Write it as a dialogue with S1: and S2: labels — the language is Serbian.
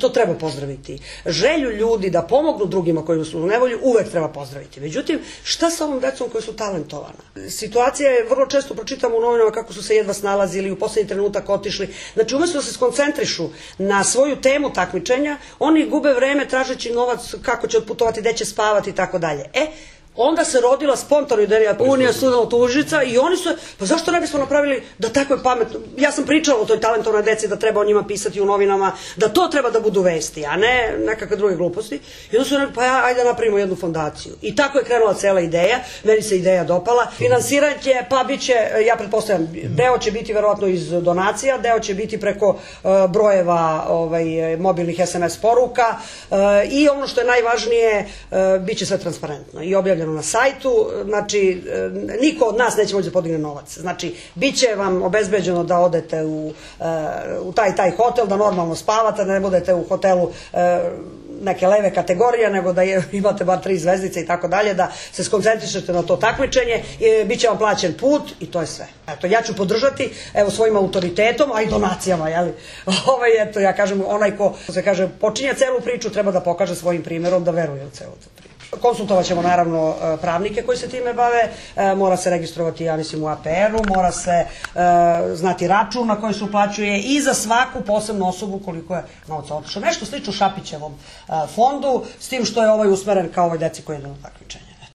S1: To treba pozdraviti. Želju ljudi da pomognu drugima koji su u nevolji uvek treba pozdraviti. Međutim, šta sa ovom decom koji su talentovana? Situacija je, vrlo često pročitamo u novinama kako su se jedva snalazili, u poslednji trenutak otišli. Znači, umesto da se skoncentrišu na svoju temu takmičenja, oni gube vreme tražeći novac, kako će otputovati, gde će spavati i tako dalje. Onda se rodila spontano ideja Unija studenata Užica i oni su, pa zašto ne bismo napravili da tako je pametno, ja sam pričala o toj talentovnoj deci da treba o njima pisati u novinama, da to treba da budu vesti, a ne nekakve druge gluposti. I onda su rekli, pa ajde da napravimo jednu fondaciju. I tako je krenula cela ideja, meni se ideja dopala. Finansiranje, pa bit će, ja pretpostavljam, deo će biti verovatno iz donacija, deo će biti preko brojeva mobilnih SMS poruka i ono što je najvažnije, bit će sve transparentno i objavljeno na sajtu, znači niko od nas neće moći da podigne novac. Znači, bit će vam obezbeđeno da odete u taj hotel, da normalno spavate, da ne budete u hotelu neke leve kategorije, nego da imate bar 3 zvezdice i tako dalje, da se skoncentrišete na to takmičenje, bit će vam plaćen put i to je sve. Eto, ja ću podržati, evo, svojim autoritetom, a i donacijama, jeli? Eto, ja kažem, onaj ko se kaže počinje celu priču, treba da pokaže svojim primjerom da veruje u celu tu priču. Konsultovat ćemo naravno pravnike koji se time bave, mora se registrovati, ja mislim, u APR-u, mora se znati račun na koji se uplaćuje i za svaku posebnu osobu koliko je novca otišlo. Nešto slično Šapićevom fondu, s tim što je ovaj usmeren kao ovoj deci koji idu na takmičenje.